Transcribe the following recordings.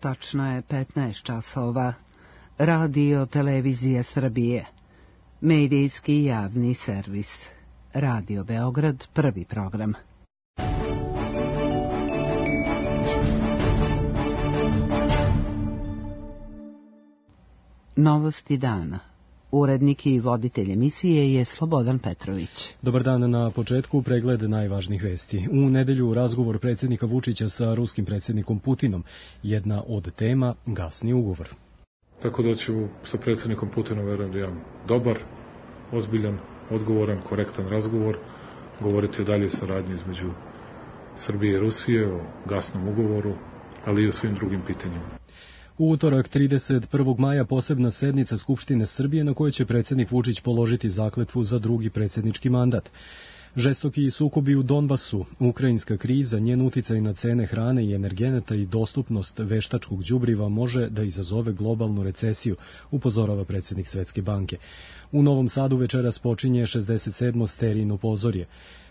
Tačno je 15 časova. Radio Televizija Srbije. Medijski javni servis. Radio Beograd, prvi program. Novosti dana. Urednik i voditelj emisije je Slobodan Petrović. Dobar dan, na početku pregled najvažnijih vesti. U nedelju razgovor predsjednika Vučića sa ruskim predsjednikom Putinom. Jedna od tema gasni ugovor. Tako da ću sa predsjednikom Putinom, verujem da imam dobar, ozbiljan, odgovoran, korektan razgovor, govoriti o daljoj saradnji između Srbije i Rusije, o gasnom ugovoru, ali i o svim drugim pitanjima. U utorak 31. maja posebna sednica Skupštine Srbije na kojoj će predsjednik Vučić položiti zakletvu za drugi predsjednički mandat. Žestoki sukobi u Donbasu, ukrajinska kriza, njen uticaj na cene hrane i energenata i dostupnost veštačkog đubriva može da izazove globalnu recesiju, upozorava predsjednik Svetske banke. U Novom Sadu večeras počinje 67. sterijno pozorje.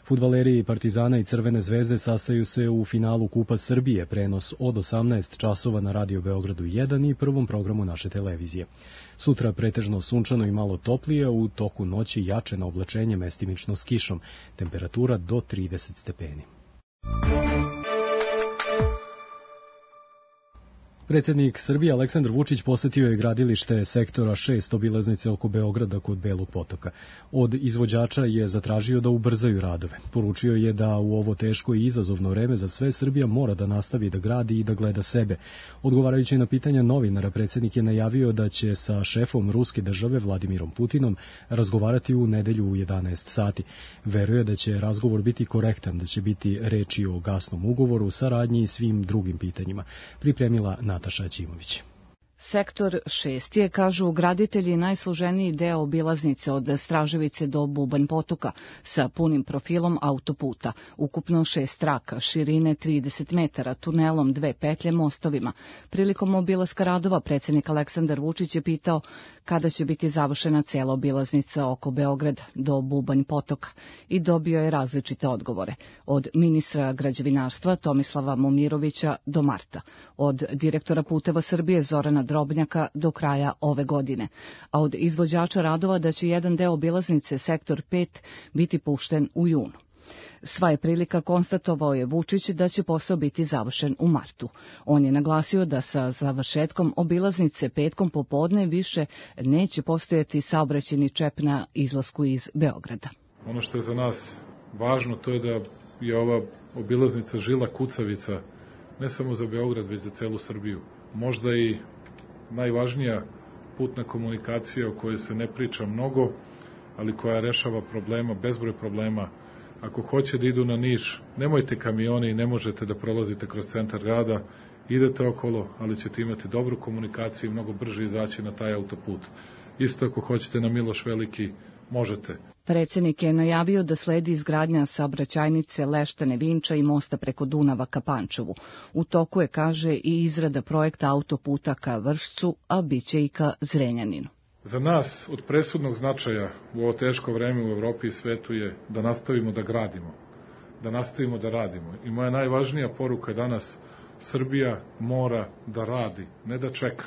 Fudbaleri Partizana i Crvene zvezde sastaju se u finalu Kupa Srbije, prenos od 18 časova na Radio Beogradu 1 i prvom programu naše televizije. Sutra pretežno sunčano i malo toplije, u toku noći jače na oblačenje mestimično s kišom, temperatura do 30 stepeni. Predsjednik Srbije Aleksandar Vučić posjetio je gradilište sektora 6 obilaznice oko Beograda kod Belog potoka. Od izvođača je zatražio da ubrzaju radove. Poručio je da u ovo teško i izazovno vreme za sve Srbija mora da nastavi da gradi i da gleda sebe. Odgovarajući na pitanja novinara, predsjednik je najavio da će sa šefom ruske države Vladimirom Putinom razgovarati u nedelju u 11 sati. Veruje da će razgovor biti korektan, da će biti reči o gasnom ugovoru, saradnji i svim drugim pitanjima. Pripremila Nataša Ćimović. Sektor 6 je, kažu graditelji, najsloženiji deo obilaznice od Straževice do Bubanj potoka sa punim profilom autoputa, ukupno 6 traka, širine 30 metara, tunelom, 2 petlje, mostovima. Prilikom obilaska radova predsjednik Aleksandar Vučić je pitao kada će biti završena cela obilaznica oko Beograda do Bubanj potoka i dobio je različite odgovore. Od ministra građevinarstva Tomislava Momirovića do marta, od direktora Puteva Srbije Zorana Drobnjaka do kraja ove godine, a od izvođača radova da će jedan deo obilaznice sektor 5 biti pušten u junu. Sva je prilika, konstatovao je Vučić, da će posao biti završen u martu. On je naglasio da sa završetkom obilaznice petkom popodne više neće postojati saobraćajni čep na izlasku iz Beograda. Ono što je za nas važno, to je da je ova obilaznica žila kucavica ne samo za Beograd, već za celu Srbiju. Možda i najvažnija putna komunikacija o kojoj se ne priča mnogo, ali koja rešava problema, bezbroj problema. Ako hoće da idu na Niš, nemojte kamioni i ne možete da prolazite kroz centar grada, idete okolo, ali ćete imati dobru komunikaciju i mnogo brže izaći na taj autoput. Isto ako hoćete na Miloš Veliki, možete. Predsjednik je najavio da sledi izgradnja saobraćajnice Leštane Vinča i mosta preko Dunava ka Pančevu. U toku je, kaže, i izrada projekta autoputa ka Vršcu, a biće i ka Zrenjaninu. Za nas od presudnog značaja u ovo teško vreme u Evropi i svetu je da nastavimo da gradimo, da nastavimo da radimo. I moja najvažnija poruka danas, Srbija mora da radi, ne da čeka,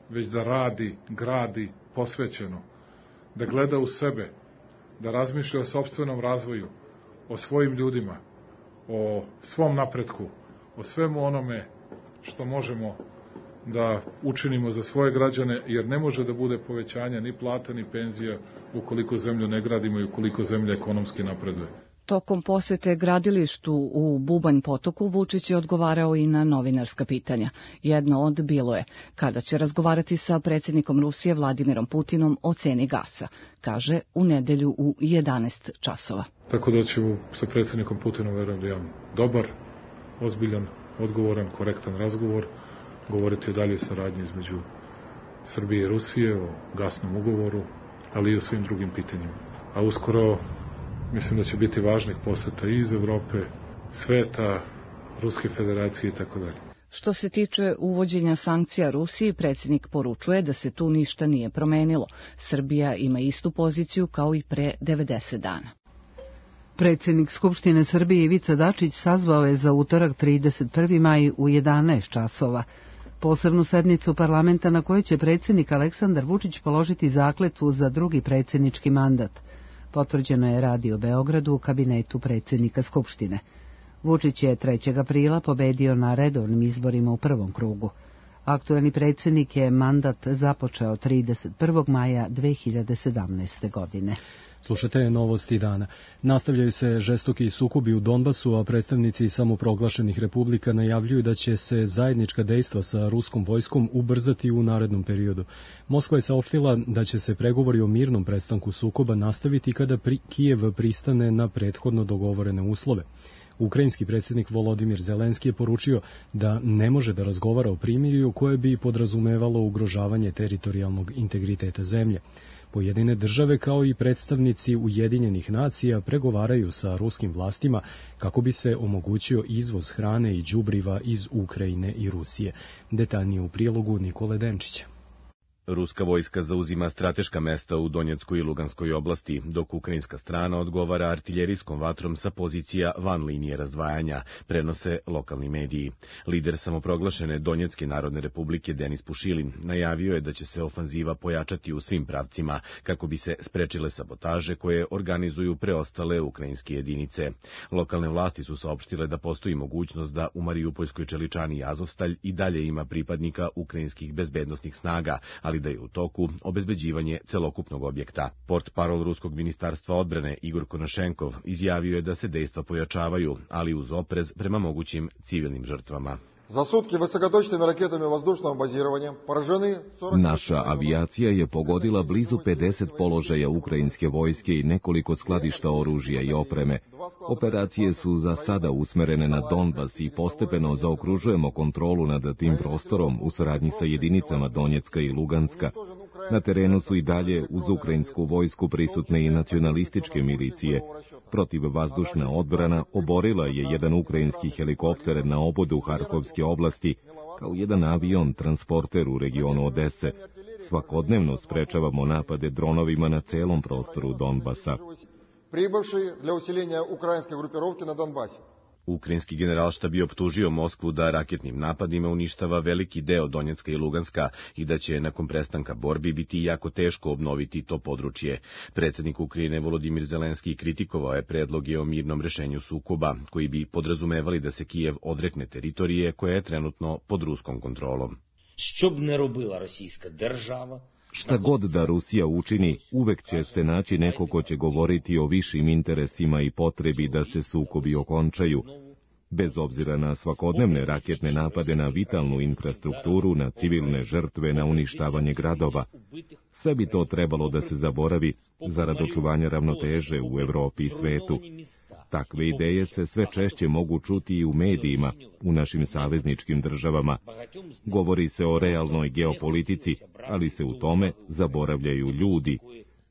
već da radi, gradi, posvećeno, da gleda u sebe, da razmišlja o sopstvenom razvoju, o svojim ljudima, o svom napretku, o svemu onome što možemo da učinimo za svoje građane, jer ne može da bude povećanja ni plata ni penzija ukoliko zemlju ne gradimo i ukoliko zemlja ekonomski napreduje. Tokom posete gradilištu u Bubanj potoku Vučić je odgovarao i na novinarska pitanja. Jedno od bilo je kada će razgovarati sa predsjednikom Rusije Vladimirom Putinom o ceni gasa. Kaže u nedelju u 11 časova. Tako da ću sa predsjednikom Putinom, verujem da imam dobar, ozbiljan, odgovoran, korektan razgovor, govoriti o daljoj saradnji između Srbije i Rusije, o gasnom ugovoru, ali i o svim drugim pitanjima. A uskoro mislim da će biti važnih poseta i iz Evrope, sveta, Ruske federacije i tako dalje. Što se tiče uvođenja sankcija Rusiji, predsjednik poručuje da se tu ništa nije promenilo. Srbija ima istu poziciju kao i pre 90 dana. Predsjednik Skupštine Srbije Ivica Dačić sazvao je za utorak 31. maj u 11 časova. posebnu sednicu parlamenta na kojoj će predsjednik Aleksandar Vučić položiti zakletvu za drugi predsjednički mandat. Potvrđeno je Radio Beogradu u kabinetu predsjednika Skupštine. Vučić je 3. aprila pobedio na redovnim izborima u prvom krugu. Aktuelni predsjednik je mandat započeo 31. maja 2017. godine. Slušate novosti dana. Nastavljaju se žestoki sukobi u Donbasu, a predstavnici samoproglašenih republika najavljuju da će se zajednička dejstva sa ruskom vojskom ubrzati u narednom periodu. Moskva je saopštila da će se pregovori o mirnom prestanku sukoba nastaviti kada Kijev pristane na prethodno dogovorene uslove. Ukrajinski predsjednik Volodimir Zelenski je poručio da ne može da razgovara o primirju koje bi podrazumevalo ugrožavanje teritorijalnog integriteta zemlje. Pojedine države kao i predstavnici Ujedinjenih nacija pregovaraju sa ruskim vlastima kako bi se omogućio izvoz hrane i đubriva iz Ukrajine i Rusije. Detaljnije u prilogu Nikole Denčića. Ruska vojska zauzima strateška mesta u Donjeckoj i Luganskoj oblasti, dok ukrajinska strana odgovara artiljerijskom vatrom sa pozicija van linije razdvajanja, prenose lokalni mediji. Lider samoproglašene Donjecke narodne republike Denis Pušilin najavio je da će se ofanziva pojačati u svim pravcima, kako bi se sprečile sabotaže koje organizuju preostale ukrajinske jedinice. Lokalne vlasti su saopštile da postoji mogućnost da u Mariupolskoj čeličani Azovstalj i dalje ima pripadnika ukrajinskih bezbednosnih snaga, ali da je u toku obezbeđivanje celokupnog objekta. Portparol Ruskog ministarstva odbrane Igor Konošenkov izjavio je da se dejstva pojačavaju, ali uz oprez prema mogućim civilnim žrtvama. Naša avijacija je pogodila blizu 50 položaja ukrajinske vojske i nekoliko skladišta oružja i opreme. Operacije su za sada usmerene na Donbas i postepeno zaokružujemo kontrolu nad tim prostorom u saradnji sa jedinicama Donjecka i Luganska. Na terenu su i dalje uz ukrajinsku vojsku prisutne i nacionalističke milicije. Protivvazdušna odbrana oborila je jedan ukrajinski helikopter na obodu Harkovske oblasti, kao jedan avion transporter u regionu Odese. Svakodnevno sprečavamo napade dronovima na celom prostoru Donbasa. Ukrajinski generalštab je optužio Moskvu da raketnim napadima uništava veliki deo Donjecka i Luganska i da će nakon prestanka borbi biti jako teško obnoviti to područje. Predsjednik Ukrajine Volodimir Zelenski kritikovao je predloge o mirnom rešenju sukoba, koji bi podrazumevali da se Kijev odrekne teritorije koja je trenutno pod ruskom kontrolom. Що б не робила російська держава, Šta god da Rusija učini, uvek će se naći neko ko će govoriti o višim interesima i potrebi da se sukobi okončaju. Bez obzira na svakodnevne raketne napade na vitalnu infrastrukturu, na civilne žrtve, na uništavanje gradova, sve bi to trebalo da se zaboravi zarad očuvanja ravnoteže u Evropi i svetu. Takve ideje se sve češće mogu čuti i u medijima, u našim savezničkim državama. Govori se o realnoj geopolitici, ali se u tome zaboravljaju ljudi.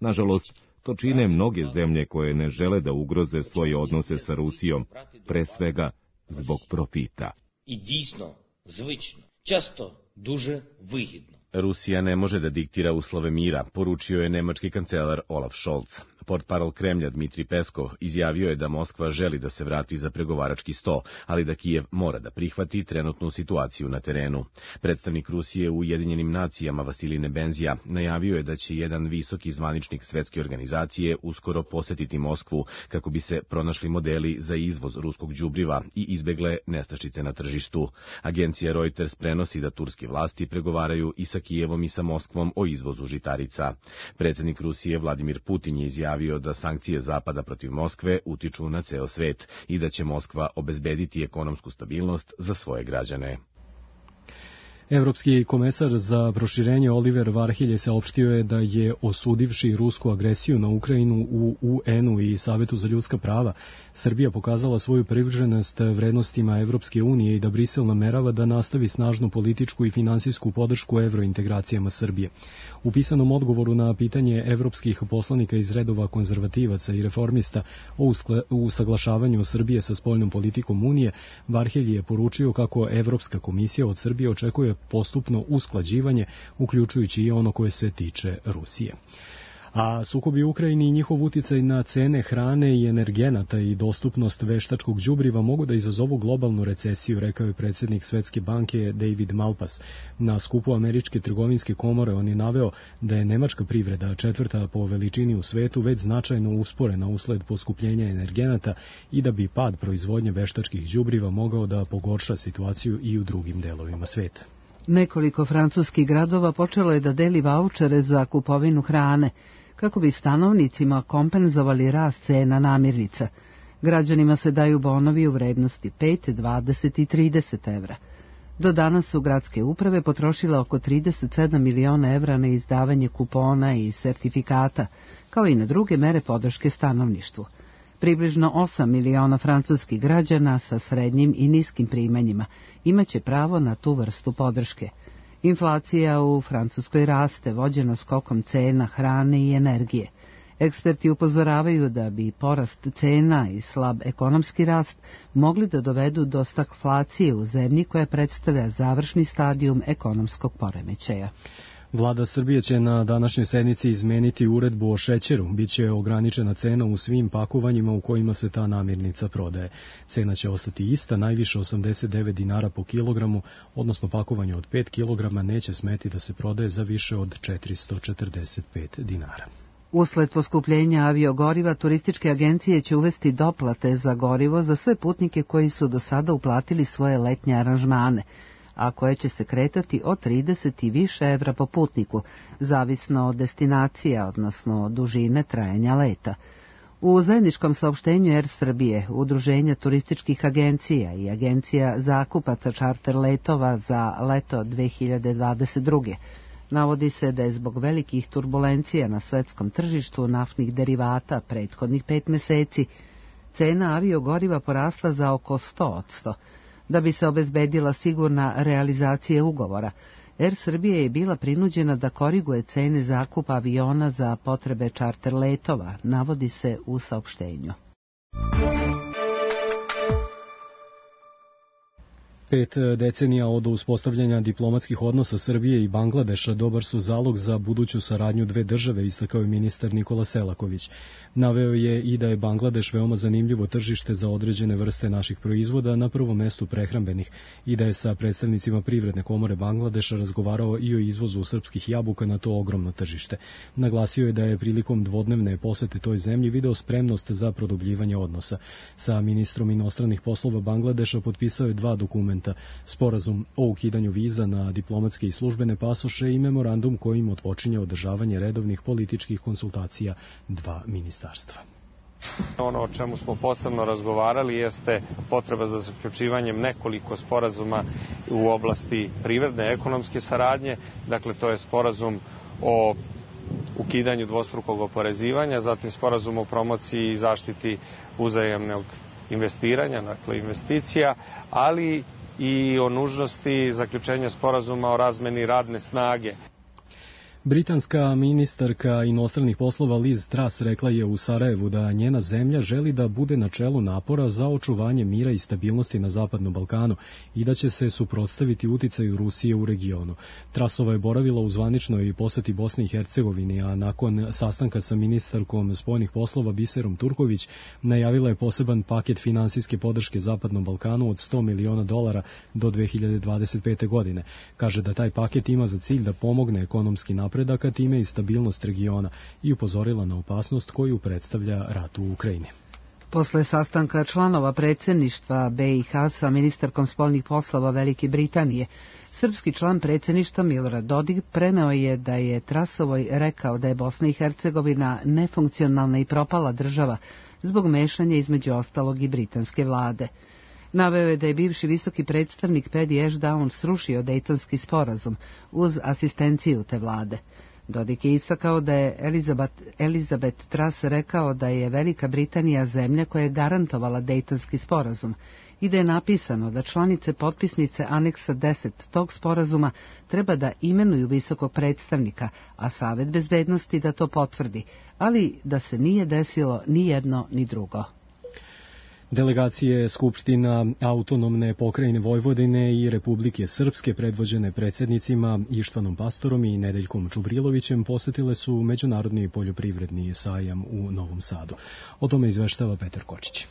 Nažalost, to čine mnoge zemlje koje ne žele da ugroze svoje odnose sa Rusijom, pre svega zbog profita. І дійсно, звично, часто дуже вигідно. Rusija ne može da diktira uslove mira, poručio je nemački kancelar Olaf Scholz. Portparol Kremlja Dmitri Peskov izjavio je da Moskva želi da se vrati za pregovarački sto, ali da Kijev mora da prihvati trenutnu situaciju na terenu. Predstavnik Rusije u Ujedinjenim nacijama Vasilij Nebenzija najavio je da će jedan visoki zvaničnik svetske organizacije uskoro posetiti Moskvu kako bi se pronašli modeli za izvoz ruskog đubriva i izbegle nestašice na tržištu. Agencija Reuters prenosi da turske vlasti pregovaraju i sa Kijevom i sa Moskvom o izvozu žitarica. Predsjednik Rusije Vladimir Putin je izjavio da sankcije Zapada protiv Moskve utiču na ceo svet i da će Moskva obezbediti ekonomsku stabilnost za svoje građane. Evropski komesar za proširenje Oliver Varhelj saopštio je da je osudivši rusku agresiju na Ukrajinu u UN-u i Savetu za ljudska prava, Srbija pokazala svoju privrženost vrednostima Evropske unije i da Brisel namerava da nastavi snažnu političku i finansijsku podršku evrointegracijama Srbije. U pisanom odgovoru na pitanje evropskih poslanika iz redova konzervativaca i reformista o usaglašavanju Srbije sa spoljnom politikom Unije, Varhelj je poručio kako Evropska komisija od Srbije očekuje postupno usklađivanje, uključujući i ono koje se tiče Rusije. A sukobi u Ukrajini i njihov uticaj na cene hrane i energenata i dostupnost veštačkog đubriva mogu da izazovu globalnu recesiju, rekao je predsjednik Svetske banke David Malpass. Na skupu Američke trgovinske komore on je naveo da je nemačka privreda, četvrta po veličini u svetu, već značajno usporena usled poskupljenja energenata i da bi pad proizvodnje veštačkih đubriva mogao da pogorša situaciju i u drugim delovima sveta. Nekoliko francuskih gradova počelo je da deli vaučere za kupovinu hrane, kako bi stanovnicima kompenzovali rast cena namirnica. Građanima se daju bonovi u vrednosti 5, 20 i 30 evra. Do danas su gradske uprave potrošile oko 37 miliona evra na izdavanje kupona i sertifikata, kao i na druge mere podrške stanovništvu. Približno 8 miliona francuskih građana sa srednjim i niskim primanjima imaće pravo na tu vrstu podrške. Inflacija u Francuskoj raste, vođena skokom cena hrane i energije. Eksperti upozoravaju da bi porast cena i slab ekonomski rast mogli da dovedu do stagflacije u zemlji koja predstavlja završni stadijum ekonomskog poremećaja. Vlada Srbije će na današnjoj sednici izmeniti uredbu o šećeru. Biće ograničena cena u svim pakovanjima u kojima se ta namirnica prodaje. Cena će ostati ista, najviše 89 dinara po kilogramu, odnosno pakovanje od 5 kilograma neće smeti da se prodaje za više od 445 dinara. Usled poskupljenja aviogoriva, turističke agencije će uvesti doplate za gorivo za sve putnike koji su do sada uplatili svoje letnje aranžmane, a koje će se kretati od 30 i više evra po putniku, zavisno od destinacija, odnosno dužine trajanja leta. U zajedničkom saopštenju Air Srbije, Udruženja turističkih agencija i agencija zakupaca čarter letova za leto 2022. navodi se da je zbog velikih turbulencija na svetskom tržištu naftnih derivata prethodnih 5 meseci cena aviogoriva porasla za oko 100%. Da bi se obezbedila sigurna realizacija ugovora, Air Srbija je bila prinuđena da koriguje cene zakupa aviona za potrebe čarter letova, navodi se u saopštenju. 5 decenija od uspostavljanja diplomatskih odnosa Srbije i Bangladeša dobar su zalog za buduću saradnju dve države, istakao je ministar Nikola Selaković. Naveo je i da je Bangladeš veoma zanimljivo tržište za određene vrste naših proizvoda, na prvom mestu prehrambenih, i da je sa predstavnicima Privredne komore Bangladeša razgovarao i o izvozu srpskih jabuka na to ogromno tržište. Naglasio je da je prilikom dvodnevne posete toj zemlji video spremnost za produbljivanje odnosa. Sa ministrom inostranih poslova Bangladeša potpisao je 2 dokumenta: sporazum o ukidanju viza na diplomatske i službene pasoše i memorandum kojim otpočinje održavanje redovnih političkih konsultacija 2 ministarstva. Ono o čemu smo posebno razgovarali jeste potreba za zaključivanjem nekoliko sporazuma u oblasti privredne ekonomske saradnje. Dakle, to je sporazum o ukidanju dvostrukog oporezivanja, zatim sporazum o promociji i zaštiti uzajamnog investiranja, dakle investicija, ali i o nužnosti zaključenja sporazuma o razmeni radne snage. Britanska ministarka inostranih poslova Liz Truss rekla je u Sarajevu da njena zemlja želi da bude na čelu napora za očuvanje mira i stabilnosti na Zapadnom Balkanu i da će se suprotstaviti uticaju Rusije u regionu. Trussova je boravila u zvaničnoj poseti Bosni i Hercegovini, a nakon sastanka sa ministarkom spoljnih poslova Biserom Turković najavila je poseban paket finansijske podrške Zapadnom Balkanu od $100 miliona do 2025. godine. Kaže da taj paket ima za cilj da pomogne ekonomski napredaka, time i stabilnost regiona, i upozorila na opasnost koju predstavlja rat u Ukrajini. Posle sastanka članova predsjedništva BiH sa ministarkom spoljnih poslova Velike Britanije, srpski član predsjedništva Milorad Dodik preneo je da je Trussovoj rekao da je Bosna i Hercegovina nefunkcionalna i propala država zbog mešanja između ostalog i britanske vlade. Naveo je da je bivši visoki predstavnik Paddy Ashdown srušio Dejtonski sporazum uz asistenciju te vlade. Dodik je istakao da je Elizabeth Truss rekao da je Velika Britanija zemlja koja je garantovala Dejtonski sporazum i da je napisano da članice potpisnice aneksa 10 tog sporazuma treba da imenuju visokog predstavnika, a Savet bezbednosti da to potvrdi, ali da se nije desilo ni jedno ni drugo. Delegacije Skupština Autonomne pokrajine Vojvodine i Republike Srpske predvođene predsjednicima Ištvanom Pastorom i Nedeljkom Čubrilovićem posetile su Međunarodni poljoprivredni sajam u Novom Sadu. O tome izveštava Petar Kočić.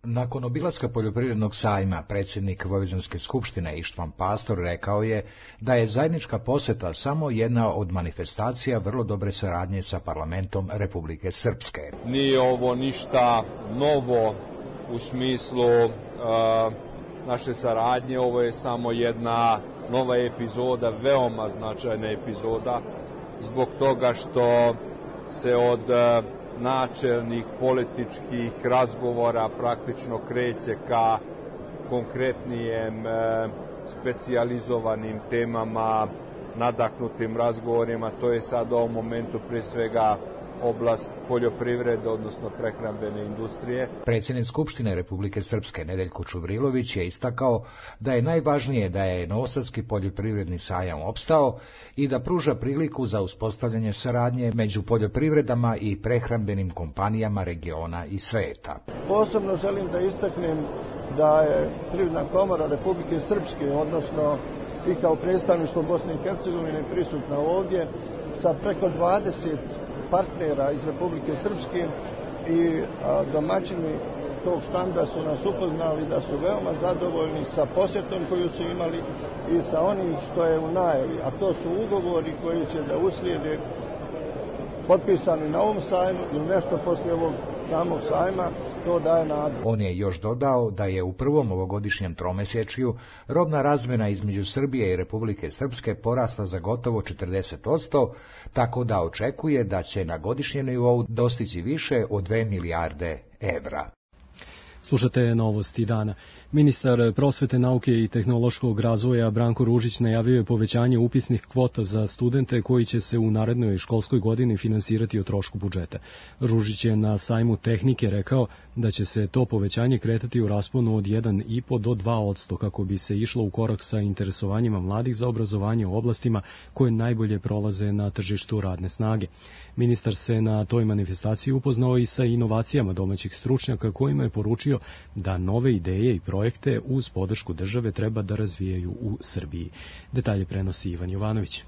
Nakon obilaska poljoprivrednog sajma, predsjednik Vojvođanske skupštine Ištvan Pastor rekao je da je zajednička poseta samo jedna od manifestacija vrlo dobre saradnje sa parlamentom Republike Srpske. Nije ovo ništa novo u smislu naše saradnje, ovo je samo jedna nova epizoda, veoma značajna epizoda, zbog toga što se od načelnih političkih razgovora praktično kreće ka konkretnijem specijalizovanim temama, nadahnutim razgovorima. To je sad u ovom momentu prije svega oblast poljoprivrede, odnosno prehrambene industrije. Predsjednik Skupštine Republike Srpske Nedeljko Čubrilović je istakao da je najvažnije da je Novosadski poljoprivredni sajam opstao i da pruža priliku za uspostavljanje saradnje među poljoprivredama i prehrambenim kompanijama regiona i sveta. Posebno želim da istaknem da je Privredna komora Republike Srpske, odnosno i kao predstavništvo Bosne i Hercegovine prisutna ovdje sa preko 20 partnera iz Republike Srpske i domaćini tog štanda su nas upoznali da su veoma zadovoljni sa posjetom koju su imali i sa onim što je u najavi, a to su ugovori koji će da uslijede potpisani na ovom sajmu ili nešto poslije ovog samog sajma, to daje nadu. On je još dodao da je u prvom ovogodišnjem tromesečju robna razmjena između Srbije i Republike Srpske porasla za gotovo 40%, tako da očekuje da će na godišnjem nivou dostići više od 2 milijarde evra. Slušate novosti dana. Ministar prosvete, nauke i tehnološkog razvoja Branko Ružić najavio je povećanje upisnih kvota za studente koji će se u narednoj školskoj godini finansirati o trošku budžeta. Ružić je na sajmu tehnike rekao da će se to povećanje kretati u rasponu od 1,5 do 2% kako bi se išlo u korak sa interesovanjima mladih za obrazovanje u oblastima koje najbolje prolaze na tržištu radne snage. Ministar se na toj manifestaciji upoznao i sa inovacijama domaćih stručnjaka kojima je poručio da nove ideje i projekte uz podršku države treba da razvijaju u Srbiji. Detalje prenosi Ivan Jovanović.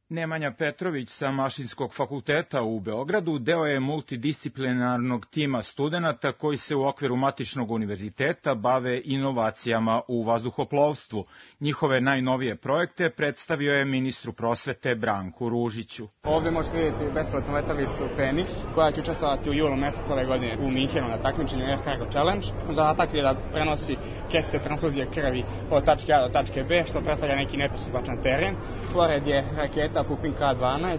Nemanja Petrović sa Mašinskog fakulteta u Beogradu deo je multidisciplinarnog tima studenata koji se u okviru Matičnog univerziteta bave inovacijama u vazduhoplovstvu. Njihove najnovije projekte predstavio je ministru prosvete Branku Ružiću. Ovdje možete vidjeti besplatnu letelicu Fenix koja će učestvovati u julu mjesecu ove godine u Minhenu na takmičenju Air Cargo Challenge. Zadatak je da prenosi keste transfuzije krvi od tačke A do tačke B, što predstavlja neki nepristupačan teren. Pored je raketa Pupin K-12.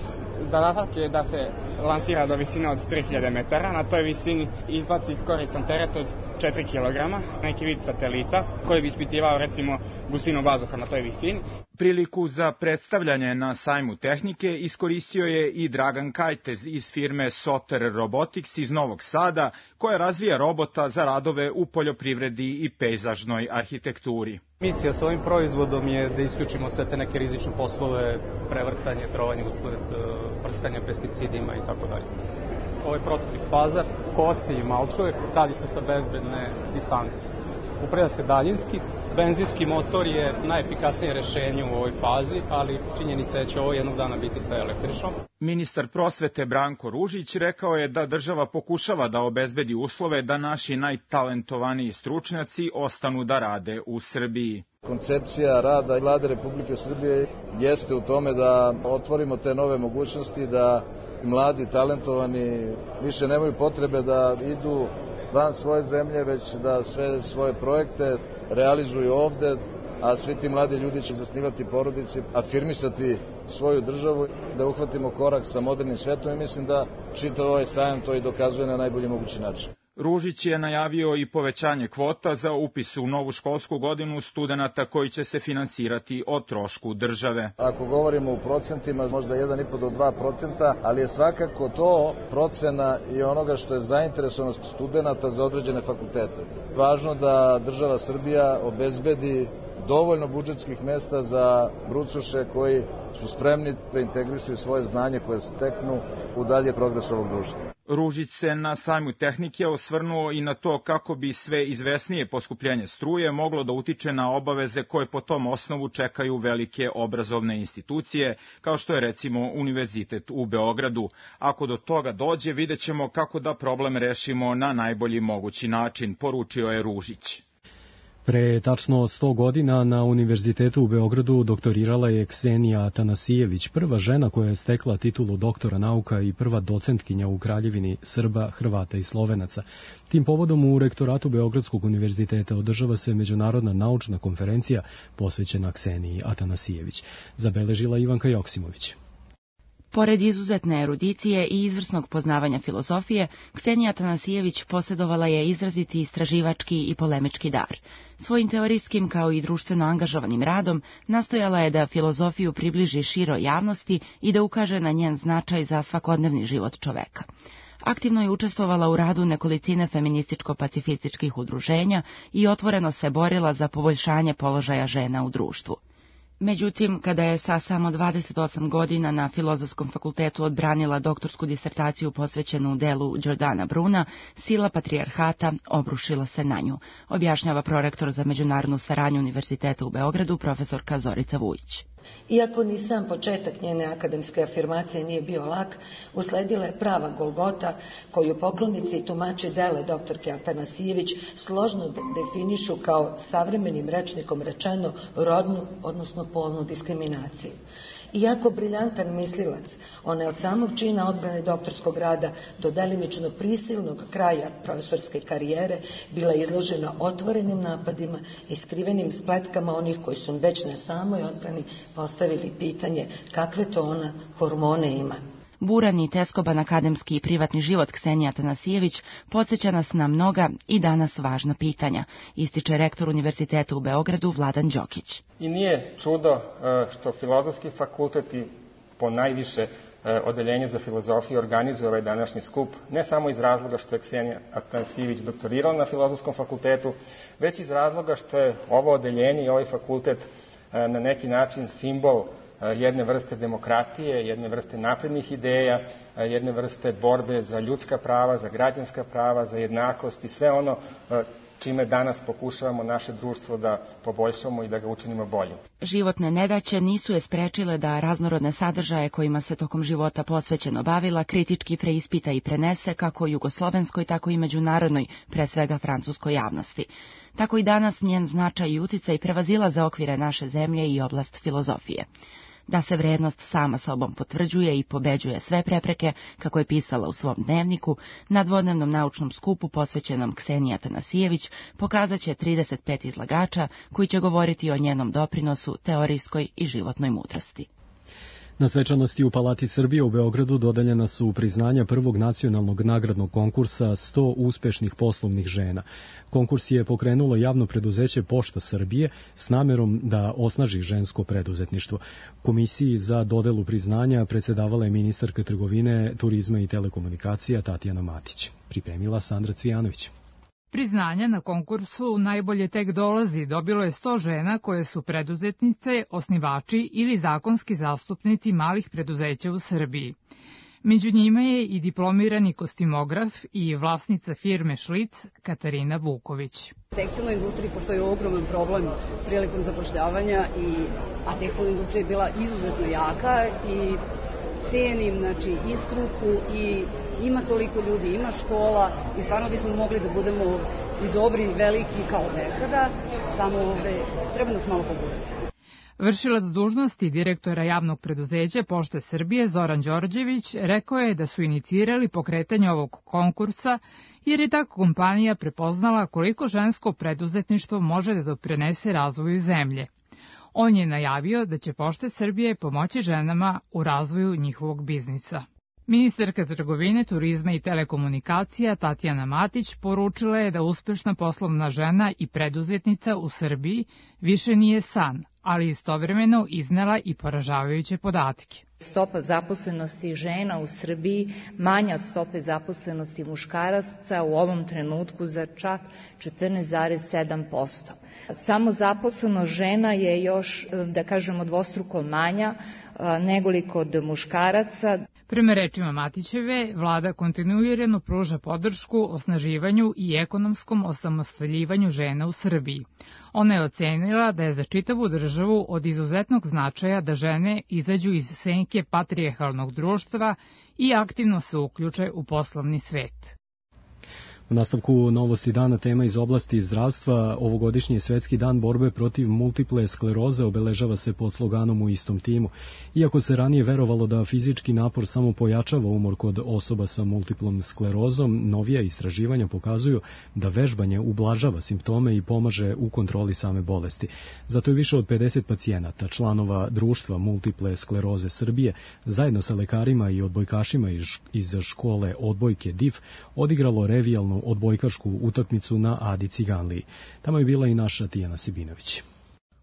Zadatak je da se lansira do visine od 3000 metara. Na toj visini izbaci koristan teret od 4 kg, neki vid satelita koji bi ispitivao recimo gustinu vazduha na toj visini. Priliku za predstavljanje na sajmu tehnike iskoristio je i Dragan Kajtez iz firme Soter Robotics iz Novog Sada, koja razvija robota za radove u poljoprivredi i pejzažnoj arhitekturi. Misija s ovim proizvodom je da isključimo sve te neke rizične poslove, prevrtanje, trovanje usled prskanja pesticidima i tako dalje. Ovaj prototip faza kosi i malčuje, radi se sa bezbedne distance. Upravlja se daljinski, benzinski motor je najefikasnije rešenje u ovoj fazi, ali činjenica je da će ovo jednog dana biti sve električno. Ministar prosvete Branko Ružić rekao je da država pokušava da obezbedi uslove da naši najtalentovaniji stručnjaci ostanu da rade u Srbiji. Koncepcija rada Vlade Republike Srbije jeste u tome da otvorimo te nove mogućnosti, da mladi talentovani više nemaju potrebe da idu van svoje zemlje, već da sve svoje projekte realizuju ovde, a svi ti mladi ljudi će zasnivati porodice, afirmisati svoju državu, da uhvatimo korak sa modernim svetom i mislim da čitav ovaj sajam to i dokazuje na najbolji mogući način. Ružić je najavio i povećanje kvota za upis u novu školsku godinu studenata koji će se finansirati o trošku države. Ako govorimo u procentima, možda 1,5 do 2%, ali je svakako to procena i onoga što je zainteresovanost studenata za određene fakultete. Važno da država Srbija obezbedi dovoljno budžetskih mesta za brucoše koji su spremni da integrišu svoje znanje koje steknu u dalje progres ovog društva. Ružić se na sajmu tehnike osvrnuo i na to kako bi sve izvesnije poskupljenje struje moglo da utiče na obaveze koje po tom osnovu čekaju velike obrazovne institucije, kao što je recimo Univerzitet u Beogradu. Ako do toga dođe, vidjet ćemo kako da problem rešimo na najbolji mogući način, poručio je Ružić. Pre tačno 100 godina na Univerzitetu u Beogradu doktorirala je Ksenija Atanasijević, prva žena koja je stekla titulu doktora nauka i prva docentkinja u Kraljevini Srba, Hrvata i Slovenaca. Tim povodom u rektoratu Beogradskog univerziteta održava se međunarodna naučna konferencija posvećena Kseniji Atanasijević. Zabeležila Ivanka Joksimović. Pored izuzetne erudicije i izvrsnog poznavanja filozofije, Ksenija Atanasijević posjedovala je izraziti istraživački i polemički dar. Svojim teorijskim kao i društveno angažovanim radom nastojala je da filozofiju približi široj javnosti i da ukaže na njen značaj za svakodnevni život čoveka. Aktivno je učestvovala u radu nekolicine feminističko-pacifističkih udruženja i otvoreno se borila za poboljšanje položaja žena u društvu. Međutim, kada je sa samo 28 godina na Filozofskom fakultetu odbranila doktorsku disertaciju posvećenu delu Giordana Bruna, sila patrijarhata obrušila se na nju, objašnjava prorektor za međunarodnu saradnju Univerziteta u Beogradu, profesorka Zorica Vujić. Iako ni sam početak njene akademske afirmacije nije bio lak, usledila je prava golgota koju poklonici i tumači dela doktorke Atanasijević složno definišu kao savremenim rečnikom rečeno rodnu, odnosno polnu diskriminaciju. Iako briljantan mislilac, ona je od samog čina odbrane doktorskog rada do delimično prisilnog kraja profesorske karijere bila izložena otvorenim napadima i skrivenim spletkama onih koji su već na samoj odbrani postavili pitanje kakve to ona hormone ima. Buran i teskoban akademski i privatni život Ksenije Atanasijević podsjeća nas na mnoga i danas važna pitanja, ističe rektor Univerziteta u Beogradu Vladan Đokić. I nije čudo što Filozofski fakultet i ponajviše Odeljenje za filozofiju organizuje ovaj današnji skup, ne samo iz razloga što je Ksenija Atanasijević doktorirala na Filozofskom fakultetu, već iz razloga što je ovo odeljenje i ovaj fakultet na neki način simbol jedne vrste demokratije, jedne vrste naprednih ideja, jedne vrste borbe za ljudska prava, za građanska prava, za jednakost i sve ono čime danas pokušavamo naše društvo da poboljšamo i da ga učinimo boljim. Životne nedaće nisu je sprečile da raznorodne sadržaje kojima se tokom života posvećeno bavila kritički preispita i prenese kako jugoslovenskoj, tako i međunarodnoj, pre svega francuskoj javnosti. Tako i danas njen značaj i uticaj prevazilaze okvire naše zemlje i oblast filozofije. Da se vrednost sama sobom potvrđuje i pobeđuje sve prepreke, kako je pisala u svom dnevniku, na dvodnevnom naučnom skupu posvećenom Kseniji Atanasijević pokazat će 35 izlagača koji će govoriti o njenom doprinosu teorijskoj i životnoj mudrosti. Na svečanosti u Palati Srbije u Beogradu dodeljena su priznanja prvog nacionalnog nagradnog konkursa 100 uspešnih poslovnih žena. Konkurs je pokrenulo javno preduzeće Pošta Srbije s namerom da osnaži žensko preduzetništvo. Komisiji za dodelu priznanja predsedavala je ministarka trgovine, turizma i telekomunikacija Tatjana Matić. Pripremila Sandra Cvijanović. Priznanja na konkursu najbolje tek dolazi dobilo je 100 žena koje su preduzetnice, osnivači ili zakonski zastupnici malih preduzeća u Srbiji. Među njima je i diplomirani kostimograf i vlasnica firme Šlic Katarina Vuković. U tekstilnoj industriji postoji ogroman problem prilikom zapošljavanja, a tekstilna industrija je bila izuzetno jaka i cenim i struku i ima toliko ljudi, ima škola i stvarno bismo mogli da budemo i dobri i veliki kao nekada, samo treba nas malo pobuditi. Vršilac dužnosti direktora javnog preduzeća Pošte Srbije Zoran Đorđević rekao je da su inicirali pokretanje ovog konkursa jer je ta kompanija prepoznala koliko žensko preduzetništvo može da doprinese razvoju zemlje. On je najavio da će Pošte Srbije pomoći ženama u razvoju njihovog biznisa. Ministarka trgovine, turizma i telekomunikacija Tatjana Matić poručila je da uspešna poslovna žena i preduzetnica u Srbiji više nije san, ali istovremeno iznela i poražavajuće podatke. Stopa zaposlenosti žena u Srbiji manja od stope zaposlenosti muškaraca u ovom trenutku za čak 14,7%. Samo zaposlenost žena je još, da kažemo, dvostruko manja nego kod muškaraca. Prema rečima Matićeve, vlada kontinuirano pruža podršku osnaživanju i ekonomskom osamostaljivanju žena u Srbiji. Ona je ocenila da je za čitavu državu od izuzetnog značaja da žene izađu iz senke patrijarhalnog društva i aktivno se uključe u poslovni svet. U nastavku novosti dana tema iz oblasti zdravstva, ovogodišnji Svetski dan borbe protiv multiple skleroze obeležava se pod sloganom U istom timu. Iako se ranije verovalo da fizički napor samo pojačava umor kod osoba sa multiplom sklerozom, novija istraživanja pokazuju da vežbanje ublažava simptome i pomaže u kontroli same bolesti. Zato je više od 50 pacijenata, članova društva multiple skleroze Srbije, zajedno sa lekarima i odbojkašima iz škole odbojke DIF, odigralo revijalnu odbojkašku utakmicu na Adi Ciganliji. Tamo je bila i naša Tijana Sibinović.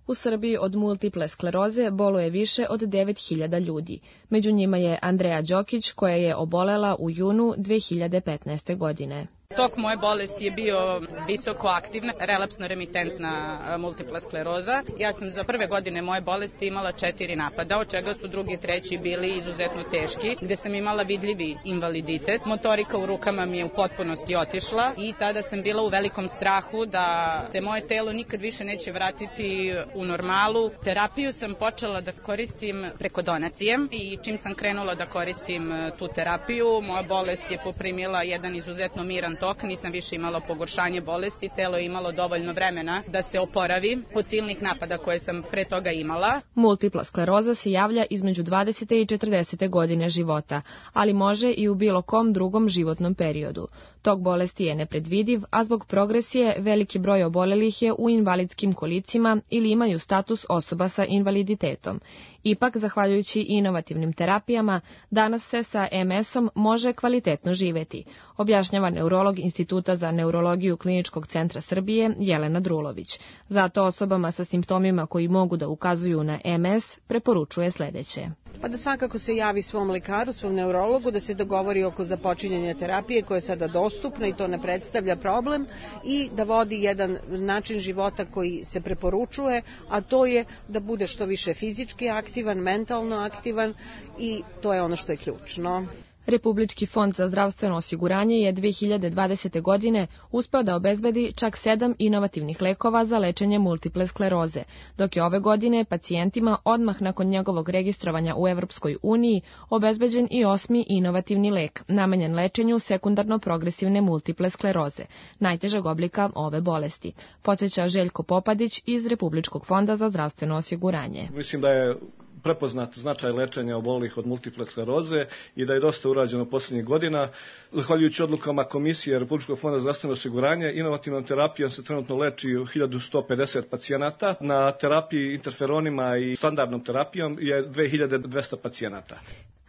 U Srbiji od multiple skleroze boluje više od 9.000 ljudi. Među njima je Andreja Đokić, koja je obolela u junu 2015. godine. Tok moje bolesti je bio visoko aktivna, relapsno-remitentna multipla skleroza. Ja sam za prve godine moje bolesti imala 4 napada, od čega su drugi i treći bili izuzetno teški, gde sam imala vidljivi invaliditet. Motorika u rukama mi je u potpunosti otišla i tada sam bila u velikom strahu da se moje telo nikad više neće vratiti u normalu. Terapiju sam počela da koristim preko donacije i čim sam krenula da koristim tu terapiju, moja bolest je poprimila jedan izuzetno miran tok, nisam više imala pogoršanje bolesti, telo je imalo dovoljno vremena da se oporavi od silnih napada koje sam pre toga imala. Multipla skleroza se javlja između 20. i 40. godine života, ali može i u bilo kom drugom životnom periodu. Tok bolesti je nepredvidiv, a zbog progresije veliki broj obolelih je u invalidskim kolicima ili imaju status osoba sa invaliditetom. Ipak, zahvaljujući inovativnim terapijama, danas se sa MS-om može kvalitetno živeti, objašnjava neurolog Instituta za neurologiju Kliničkog centra Srbije Jelena Drulović. Zato osobama sa simptomima koji mogu da ukazuju na MS preporučuje sledeće. Pa da svakako se javi svom lekaru, svom neurologu, da se dogovori oko započinjanja terapije koja je sada dostupna i to ne predstavlja problem i da vodi jedan način života koji se preporučuje, a to je da bude što više fizički aktivan, mentalno aktivan i to je ono što je ključno. Republički fond za zdravstveno osiguranje je 2020. godine uspeo da obezbedi čak 7 inovativnih lekova za lečenje multiple skleroze, dok je ove godine pacijentima odmah nakon njegovog registrovanja u Evropskoj uniji obezbeđen i 8. inovativni lek, namenjen lečenju sekundarno progresivne multiple skleroze, najtežeg oblika ove bolesti, podsjeća Željko Popadić iz Republičkog fonda za zdravstveno osiguranje. Mislim da je prepoznat značaj lečenja obolelih od multiple skleroze i da je dosta urađeno poslednjih godina. Zahvaljujući odlukama Komisije Republičkog fonda za zdravstveno osiguranje, inovativnom terapijom se trenutno leči 1150 pacijenata. Na terapiji interferonima i standardnom terapijom je 2200 pacijenata.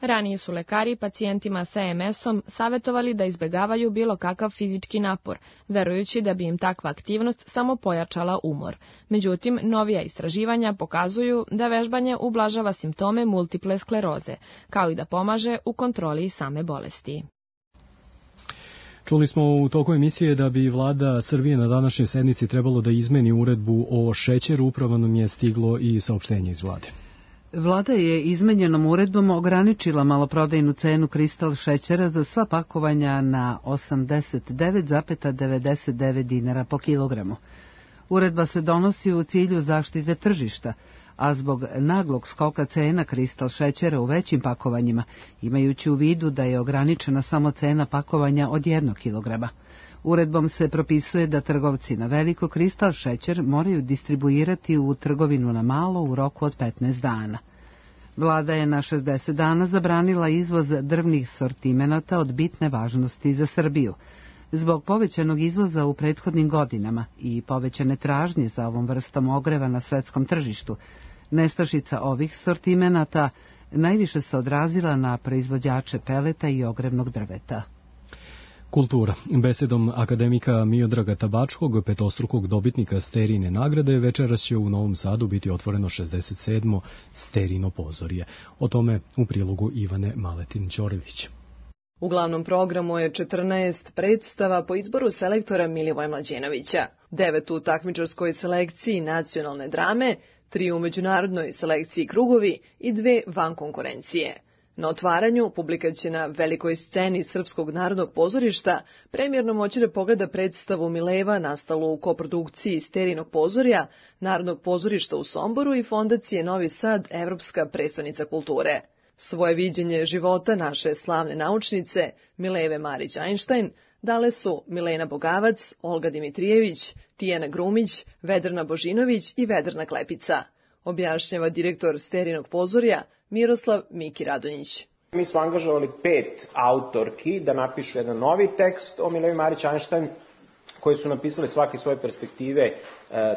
Ranije su lekari pacijentima sa MS-om savjetovali da izbegavaju bilo kakav fizički napor, verujući da bi im takva aktivnost samo pojačala umor. Međutim, novija istraživanja pokazuju da vežbanje ublažava simptome multiple skleroze, kao i da pomaže u kontroli same bolesti. Čuli smo u toku emisije da bi vlada Srbije na današnjoj sednici trebalo da izmeni uredbu o šećeru, upravo nam je stiglo i saopštenje iz vlade. Vlada je izmenjenom uredbom ograničila maloprodajnu cenu kristal šećera za sva pakovanja na 89,99 dinara po kilogramu. Uredba se donosi u cilju zaštite tržišta, a zbog naglog skoka cena kristal šećera u većim pakovanjima, imajući u vidu da je ograničena samo cena pakovanja od 1 kilograma. Uredbom se propisuje da trgovci na veliko kristal šećer moraju distribuirati u trgovinu na malo u roku od 15 dana. Vlada je na 60 dana zabranila izvoz drvnih sortimenata od bitne važnosti za Srbiju. Zbog povećanog izvoza u prethodnim godinama i povećane tražnje za ovom vrstom ogreva na svetskom tržištu, nestašica ovih sortimenata najviše se odrazila na proizvođače peleta i ogrevnog drveta. Kultura. Besedom akademika Miodraga Tabačkog, petostrukog dobitnika Sterine nagrade, večeras će u Novom Sadu biti otvoreno 67. Sterino pozorje. O tome u prilogu Ivane Maletin-Ćorilić. U glavnom programu je 14 predstava po izboru selektora Milivoja Mlađenovića, 9 u takmičarskoj selekciji nacionalne drame, 3 u međunarodnoj selekciji krugovi i 2 van konkurencije. Na otvaranju publika će na velikoj sceni Srpskog narodnog pozorišta premijerno moći da pogleda predstavu Mileva nastalu u koprodukciji Sterinog pozorja, Narodnog pozorišta u Somboru i Fondacije Novi Sad, Evropska prestonica kulture. Svoje viđenje života naše slavne naučnice Mileve Marić-Einstein dale su Milena Bogavac, Olga Dimitrijević, Tijana Grumić, Vedrana Božinović i Vedrana Klepica, objašnjava direktor Sterinog pozorja Miroslav Miki Radonjić. Mi smo angažovali 5 autorki da napišu jedan novi tekst o Milevi Marić-Einstein, koji su napisali svaki svoje perspektive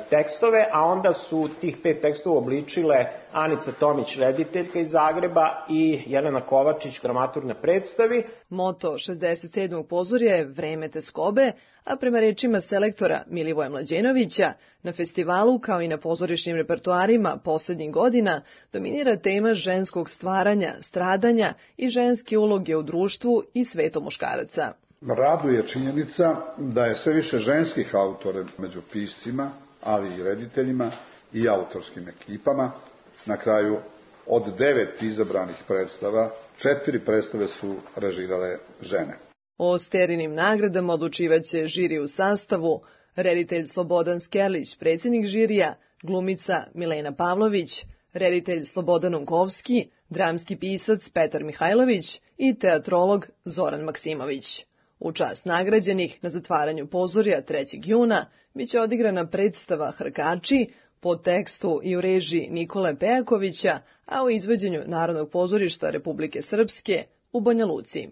tekstove, a onda su tih 5 tekstova obličile Anica Tomić, rediteljka iz Zagreba, i Jelena Kovačić, dramaturg na predstavi. Moto 67. pozorja je Vreme teskobe, a prema rečima selektora Milivoja Mlađenovića, na festivalu kao i na pozorišnim repertoarima poslednjih godina dominira tema ženskog stvaranja, stradanja i ženske uloge u društvu i svetu muškaraca. Raduje činjenica da je sve više ženskih autora među piscima, ali i rediteljima i autorskim ekipama. Na kraju, od 9 izabranih predstava, 4 predstave su režirale žene. O Sterinim nagradama odlučivaće žiri u sastavu reditelj Slobodan Skerlić, predsjednik žirija, glumica Milena Pavlović, reditelj Slobodan Unkovski, dramski pisac Petar Mihajlović i teatrolog Zoran Maksimović. U čast nagrađenih na zatvaranju pozorja 3. juna biće odigrana predstava Hrkači po tekstu i u režiji Nikole Pejakovića, a u izvođenju Narodnog pozorišta Republike Srpske u Banja Luci.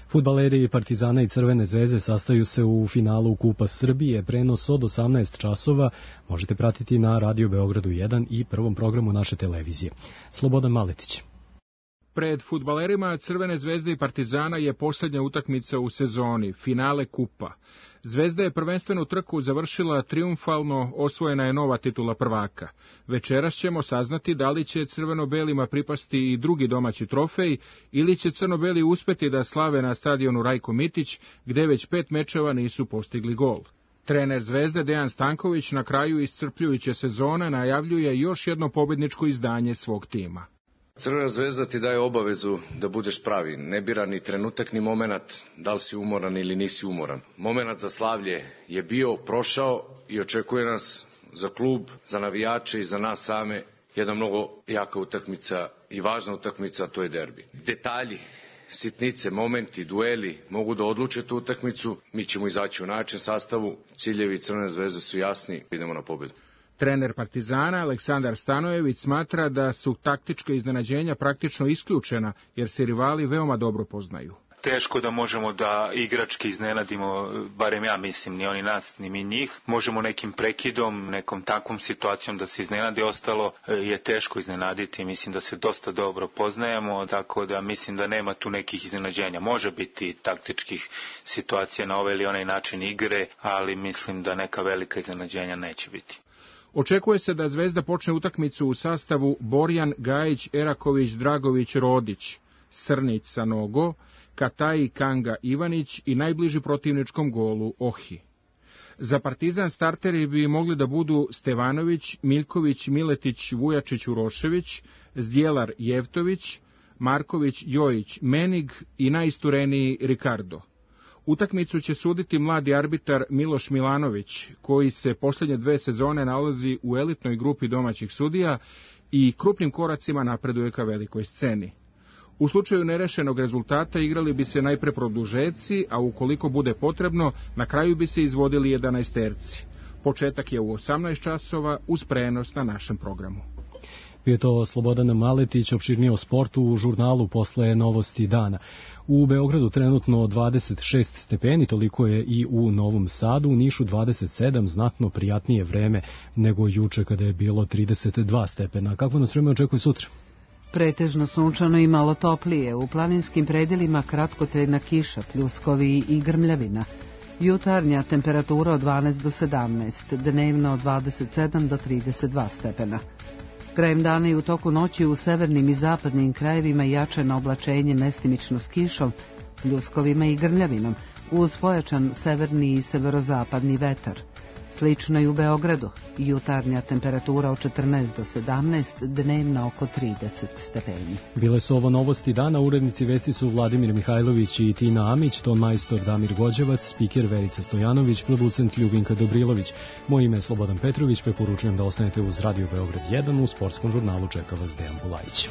Fudbaleri Partizana i Crvene zvezde sastaju se u finalu Kupa Srbije. Prenos od 18 časova možete pratiti na Radio Beogradu 1 i prvom programu naše televizije. Slobodan Maletić. Pred fudbalerima Crvene zvezde i Partizana je posljednja utakmica u sezoni, finale Kupa. Zvezda je prvenstvenu trku završila triumfalno, osvojena je nova titula prvaka. Večeras ćemo saznati da li će crveno-belima pripasti i drugi domaći trofej, ili će crno-beli uspeti da slave na stadionu Rajko Mitić, gde već 5 mečeva nisu postigli gol. Trener Zvezde Dejan Stanković na kraju iscrpljujuće sezone najavljuje još jedno pobedničko izdanje svog tima. Crvena zvezda ti daje obavezu da budeš pravi, ne bira ni trenutak ni moment da li si umoran ili nisi umoran. Moment za slavlje je bio, prošao i očekuje nas za klub, za navijače i za nas same jedna mnogo jaka utakmica i važna utakmica, to je derbi. Detalji, sitnice, momenti, dueli mogu da odluče tu utakmicu, mi ćemo izaći u najjačem sastavu, ciljevi Crvene zvezde su jasni, idemo na pobedu. Trener Partizana Aleksandar Stanojević smatra da su taktička iznenađenja praktično isključena, jer se rivali veoma dobro poznaju. Teško da možemo da igrački iznenadimo, barem ja mislim, ni oni nas, ni mi njih. Možemo nekim prekidom, nekom takvom situacijom da se iznenadi, ostalo je teško iznenaditi. Mislim da se dosta dobro poznajemo, tako da mislim da nema tu nekih iznenađenja. Može biti taktičkih situacija na ovaj ili onaj način igre, ali mislim da neka velika iznenađenja neće biti. Očekuje se da Zvezda počne utakmicu u sastavu Borjan, Gajić, Eraković, Dragović, Rodić, Srnić, Sanogo, Kataji, Kanga, Ivanić i najbliži protivničkom golu Ohi. Za Partizan starteri bi mogli da budu Stevanović, Miljković, Miletić, Vujačić, Urošević, Zdjelar, Jevtović, Marković, Jojić, Menig i najistureniji Ricardo. Utakmicu će suditi mladi arbitar Miloš Milanović, koji se posljednje 2 sezone nalazi u elitnoj grupi domaćih sudija i krupnim koracima napreduje ka velikoj sceni. U slučaju nerešenog rezultata igrali bi se najpre produžeci, a ukoliko bude potrebno, na kraju bi se izvodili 11-terci. Početak je u 18 časova uz prenos na našem programu. Bio je to Slobodan Maletić, opširnije o sportu u žurnalu Posle novosti dana. U Beogradu trenutno 26 stepeni, toliko je i u Novom Sadu, u Nišu 27, znatno prijatnije vreme nego juče kada je bilo 32 stepena. Kako nas vreme očekuje sutra? Pretežno sunčano i malo toplije, u planinskim predelima kratkotrajna kiša, pljuskovi i grmljavina. Jutarnja temperatura od 12 do 17, dnevno od 27 do 32 stepena. Krajem dana i u toku noći u severnim i zapadnim krajevima jačano oblačenje mestimično s kišom, pljuskovima i grmljavinom, uz pojačan severni i severozapadni vetar. Slično i u Beogradu, jutarnja temperatura od 14 do 17, dnevna oko 30 stepeni. Bile su ovo novosti dana, urednici vesti su Vladimir Mihajlović i Tina Amić, ton majstor Damir Gođevac, spiker Verica Stojanović, producent Ljubinka Dobrilović. Moje ime je Slobodan Petrović, preporučujem da ostanete uz Radio Beograd 1, u sportskom žurnalu čeka vas Dejan Bulajić.